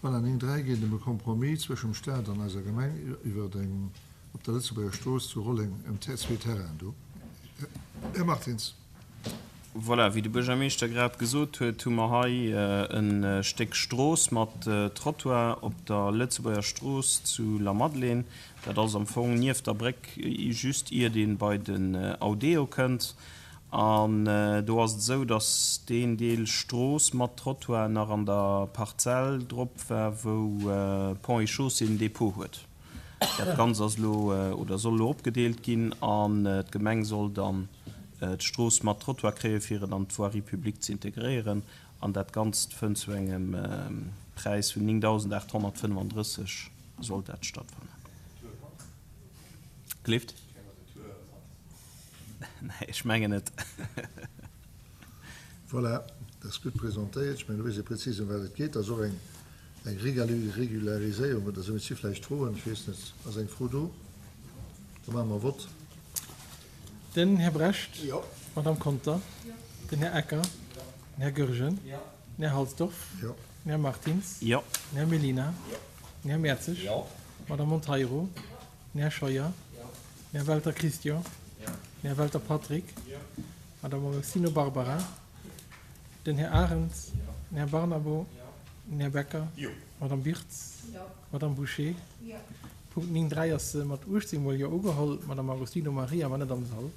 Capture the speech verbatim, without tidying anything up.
Voilà, néng dräi geet ëm e Compromis zwëschem Staat an eiser Gemeng iwwert eng op der Lëtzebuerger Strooss zu Rolleng, ëm zwee Terrainen do. Här Martins. Voilà, wéi de Buergermeeschter grad gesot huet, hu mer hei e Stéck Strooss mat Trottoir op der Lëtzebuerger Strooss zu Lamadelaine. Dat ass am Fong nieft der Bréck, just iert ee bei den Audeo kënnt. An do ass et esou, datt deen Deel Strooss mat Trottoir nach an der Parzell drop war, wou Ponts et Chaussées en Depot huet. Dat Ganzt ass elo oder soll elo opgedeelt ginn an d'Gemeng soll dann d'Strooss mat Trottoir kréien, fir et an d'Voirie publique ze integréieren. An dat Ganzt fënnt zu engem Präis vun néngdausendaathonnertfënnefandrësseg soll dat stattfannen. Gleeft? Nee, ech mengen net. Voilà, dat ass gutt presentéiert. Ech mengen, do weess ee prezis, ëm wat et geet. Dat ass och eng Regulariséierung oder esou. Et si vläicht Froen, ech weess net. Ass eng Fro do? Da maache mer Vott. Den Här Brecht. Jo. D'Madame Conter. Jo. Den Här Ecker. Jo. Den Här Goergen. Jo. Den Här Halsdorf. Jo. Den Här Martins. Jo. Den Här Mellina. Jo. Den Här Mertzig. Jo. D'Madame Monteiro. Jo. Den Här Scheuer. Jo. Den Här Welter Christian. Jo. Den Här Welter Patrick. Jo. D'Madame Agostino Barbara. Den Här Arens. Jo. Den Här Barnabo. Jo. Den Här Becker. Jo. D'Madame Birtz. Jo. D'Madame Bouché. Jo. Punkt néng dräi ass mat uechtzéng mol Jo ugeholl. D'Madame Agostino Maria war net am Sall.